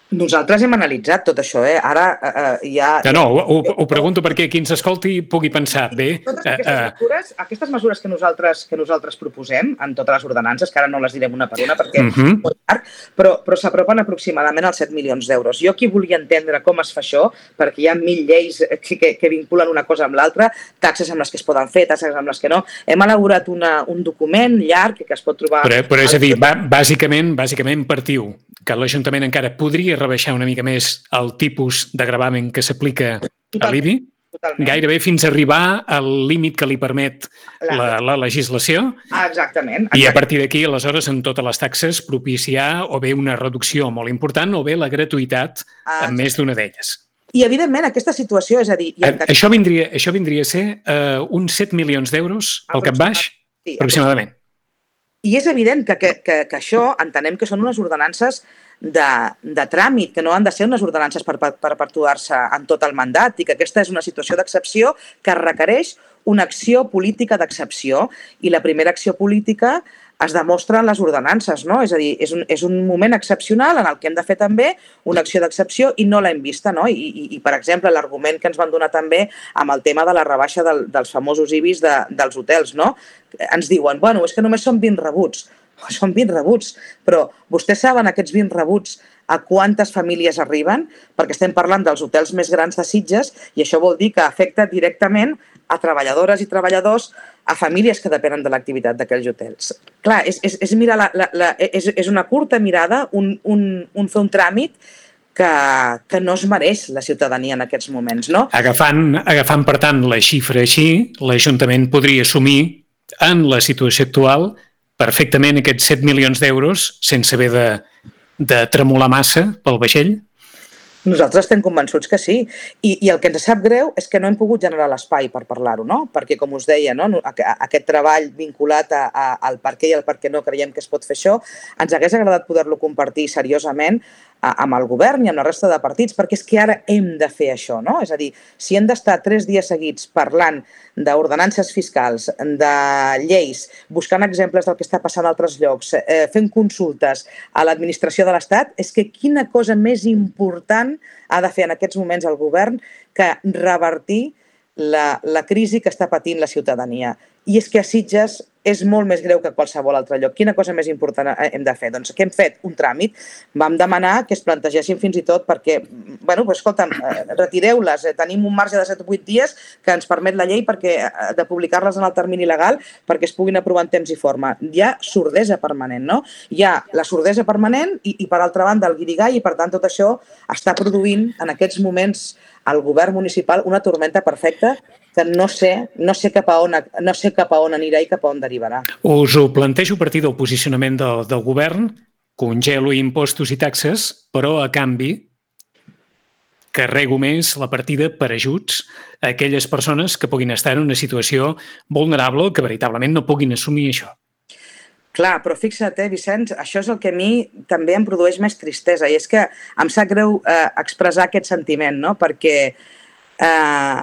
Speaker 3: Nosaltres hem analitzat tot això, eh? Ara eh, hi ha...
Speaker 2: Que no, ho, ho pregunto perquè qui ens escolti pugui pensar bé...
Speaker 3: Totes aquestes mesures, aquestes mesures que nosaltres, que nosaltres proposem en totes les ordenances, que ara no les direm una per una perquè uh-huh. és molt llarg, però, però s'apropen aproximadament als set milions d'euros. Jo aquí volia entendre com es fa això, perquè hi ha mil lleis que, que, que vinculen una cosa amb l'altra, taxes amb les que es poden fer, taxes amb les que no. Hem elaborat una, un document llarg que es pot trobar...
Speaker 2: Però, però és a dir, bàsicament, bàsicament partiu que l'Ajuntament encara podria rebaixar una mica més el tipus de gravamen que s'aplica a l'I B I, gairebé fins a arribar al límit que li permet la, la legislació.
Speaker 3: Ah, exactament, exactament.
Speaker 2: I a partir d'aquí, aleshores, en totes les taxes, propiciar o bé una reducció molt important o bé la gratuïtat ah, en més d'una d'elles.
Speaker 3: I, evidentment, aquesta situació, és a dir...
Speaker 2: A, això, vindria, això vindria a ser uh, uns set milions d'euros al cap baix, sí, aproximadament.
Speaker 3: I és evident que, que, que, que això entenem que són unes ordenances de, de tràmit, que no han de ser unes ordenances per, per, per perpetuar-se en tot el mandat i que aquesta és una situació d'excepció que requereix una acció política d'excepció i la primera acció política es demostra en les ordenances, no? És a dir, és un, és un moment excepcional en el que hem de fer també una acció d'excepció i no l'hem vista, no? I, i, i per exemple, l'argument que ens van donar també amb el tema de la rebaixa del, dels famosos I B Is de, dels hotels, no? Ens diuen, bueno, és que només són vint rebuts. Són vint rebuts, però vostès saben aquests vint rebuts a quantes famílies arriben? Perquè estem parlant dels hotels més grans de Sitges i això vol dir que afecta directament a treballadores i treballadors, a famílies que depenen de l'activitat d'aquells hotels. Clar, és, és, és, mirar la, la, la, és, és una curta mirada, un, un, un fer un tràmit que, que no es mereix la ciutadania en aquests moments, no?
Speaker 2: Agafant, agafant per tant, la xifra així, l'Ajuntament podria assumir en la situació actual perfectament aquests set milions d'euros sense haver de, de tremolar massa pel vaixell?
Speaker 3: Nosaltres estem convençuts que sí. I, i el que ens sap greu és que no hem pogut generar l'espai per parlar-ho, no? Perquè, com us deia, no? Aquest treball vinculat a, a, al per què i al per què no creiem que es pot fer això, ens hagués agradat poder-lo compartir seriosament amb el govern i amb la resta de partits, perquè és que ara hem de fer això, no? És a dir, si hem d'estar tres dies seguits parlant d'ordenances fiscals, de lleis, buscant exemples del que està passant a altres llocs, eh, fent consultes a l'administració de l'Estat, és que quina cosa més important ha de fer en aquests moments el govern que revertir la, la crisi que està patint la ciutadania. I és que a Sitges és molt més greu que a qualsevol altre lloc. Quina cosa més important hem de fer? Doncs què hem fet? Un tràmit. Vam demanar que es plantegessin fins i tot perquè, bueno, pues, escolta'm, retireu-les. Tenim un marge de set o vuit dies que ens permet la llei perquè, de publicar-les en el termini legal perquè es puguin aprovar en temps i forma. Hi ha sordesa permanent, no? Hi ha la sordesa permanent i, i per altra banda, el guirigall, i per tant tot això està produint en aquests moments al govern municipal una tormenta perfecta que no sé, no sé, cap a on, no sé cap a on anirà i cap a on derivarà.
Speaker 2: Us ho plantejo a partir del posicionament del, del govern, congelo impostos i taxes, però a canvi carrego més la partida per ajuts a aquelles persones que puguin estar en una situació vulnerable que veritablement no puguin assumir això.
Speaker 3: Clar, però fixa't, eh, Vicenç, això és el que a mi també em produeix més tristesa i és que em sap greu eh, expressar aquest sentiment, no? Perquè eh,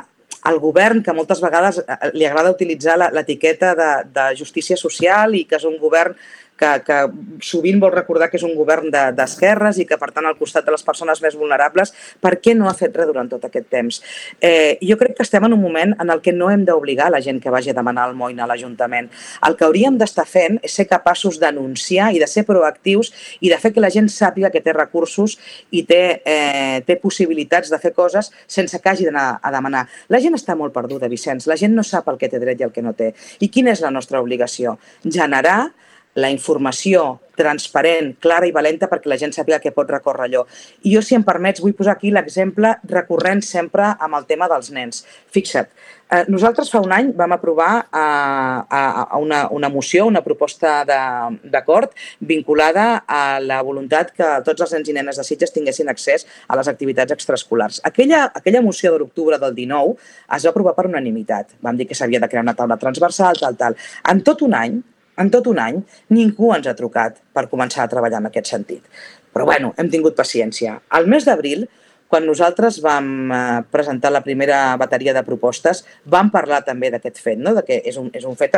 Speaker 3: el govern, que moltes vegades li agrada utilitzar l'etiqueta de, de justícia social i que és un govern que, que sovint vol recordar que és un govern d'esquerres de, i que, per tant, al costat de les persones més vulnerables, per què no ha fet res durant tot aquest temps? Eh, jo crec que estem en un moment en el que no hem d'obligar la gent que vagi a demanar almoina a l'Ajuntament. El que hauríem d'estar fent és ser capaços d'anunciar i de ser proactius i de fer que la gent sàpiga que té recursos i té, eh, té possibilitats de fer coses sense que hagi d'anar a demanar. La gent està molt perduda, Vicenç. La gent no sap el que té dret i el que no té. I quina és la nostra obligació? Generar la informació transparent, clara i valenta perquè la gent sàpiga que pot recórrer allò. I jo, si em permets, vull posar aquí l'exemple recurrent sempre amb el tema dels nens. Fixa't, eh, nosaltres fa un any vam aprovar eh, a una, una moció, una proposta d'acord vinculada a la voluntat que tots els nens i nenes de Sitges tinguessin accés a les activitats extraescolars. Aquella, aquella moció de l'octubre del dinou es va aprovar per unanimitat. Vam dir que s'havia de crear una taula transversal, tal, tal. En tot un any, En tot un any, ningú ens ha trucat per començar a treballar en aquest sentit. Però, bueno, hem tingut paciència. Al mes d'abril, quan nosaltres vam presentar la primera bateria de propostes, vam parlar també d'aquest fet, no? De que és un, és un fet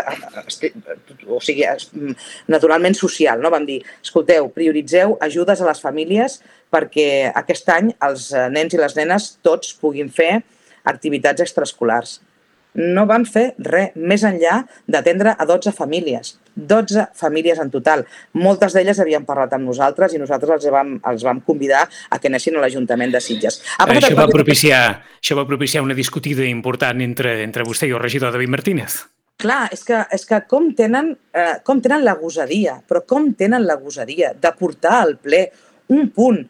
Speaker 3: o sigui, naturalment social. No? Vam dir, escolteu, prioritzeu ajudes a les famílies perquè aquest any els nens i les nenes tots puguin fer activitats extraescolars. No van fer res més enllà d'atendre a dotze famílies. dotze famílies en total. Moltes d'elles havien parlat amb nosaltres i nosaltres els vam, els vam convidar a que anessin a l'Ajuntament de Sitges.
Speaker 2: Això va, propiciar, això va propiciar una discutida important entre, entre vostè i el regidor David Martínez.
Speaker 3: Clar, és que, és que com, tenen, eh, com tenen la gosadia, però com tenen la gosadia de portar al ple un punt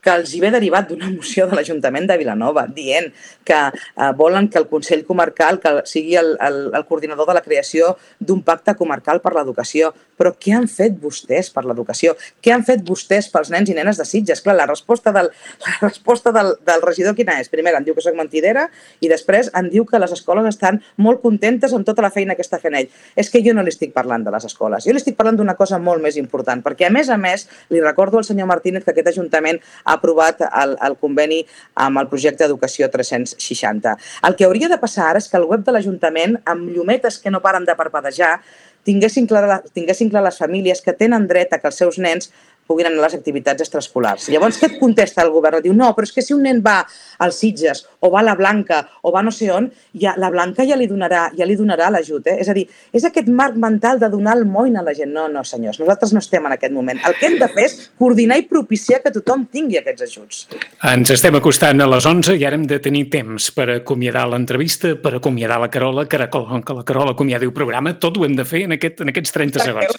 Speaker 3: que els hi ve derivat d'una moció de l'Ajuntament de Vilanova, dient que eh, volen que el Consell Comarcal que sigui el, el, el coordinador de la creació d'un pacte comarcal per l'educació. Però què han fet vostès per l'educació? Què han fet vostès pels nens i nenes de Sitges? Clar, la resposta del, la resposta del, del regidor quina és? Primer, em diu que soc mentidera i després em diu que les escoles estan molt contentes amb tota la feina que està fent ell. És que jo no li estic parlant de les escoles. Jo li estic parlant d'una cosa molt més important, perquè a més a més li recordo al senyor Martínez que aquest Ajuntament ha aprovat el, el conveni amb el projecte Educació tres-cents seixanta. El que hauria de passar ara és que el web de l'Ajuntament, amb llumetes que no paren de parpadejar, tinguessin clar, tinguessin clar les famílies que tenen dret a que els seus nens puguin anar a les activitats extraescolars. Llavors, què et contesta el govern? Diu, no, però és que si un nen va als Sitges o va a la Blanca o va no sé on, ja, la Blanca ja li donarà, ja li donarà l'ajut. Eh? És a dir, és aquest marc mental de donar el moin a la gent. No, no, senyors, nosaltres no estem en aquest moment. El que hem de fer és coordinar i propiciar que tothom tingui aquests ajuts.
Speaker 2: Ens estem acostant a les onze i ara hem de tenir temps per acomiadar l'entrevista, per acomiadar la Carola, que la Carola acomiadi el programa. Tot ho hem de fer en, aquest, en aquests trenta segons.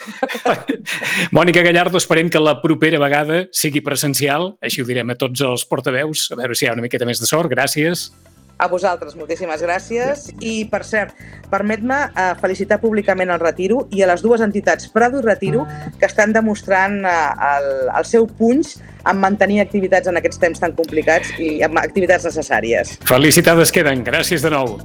Speaker 2: Mònica Gallardo, esperem que la propera vegada sigui presencial, així ho direm a tots els portaveus, a veure si hi ha una miqueta més de sort. Gràcies.
Speaker 3: A vosaltres, moltíssimes gràcies. I, per cert, permet-me eh, felicitar públicament el Retiro i a les dues entitats Prado i Retiro que estan demostrant eh, el, el seu punx en mantenir activitats en aquests temps tan complicats i amb activitats necessàries.
Speaker 2: Felicitades queden. Gràcies de nou.